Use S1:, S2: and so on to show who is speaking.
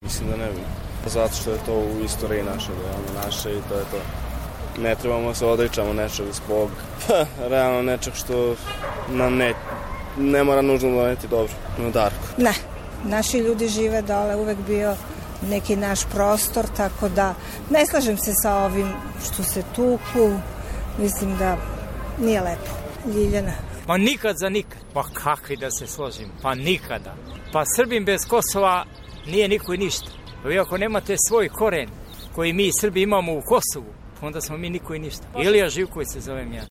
S1: Mislim da ne bi. Zato što je to u istoriji naše i to je to. Ne trebamo se odričamo nečeg zbog realno nečeg što nam ne mora nužno doneti dobro. No, Darko.
S2: Ne, naši ljudi žive dole, uvek bio neki naš prostor, tako da ne slažem se sa ovim što se tuku, mislim da nije lepo. Ljiljana.
S3: Pa nikad za nikad. Pa kakvi da se složim? Pa nikada. Pa Srbin bez Kosova nije niko i ništa. Pa vi ako nemate svoj koren koji mi Srbi imamo u Kosovu, onda smo mi niko i ništa. Ilija Živković se zovem ja.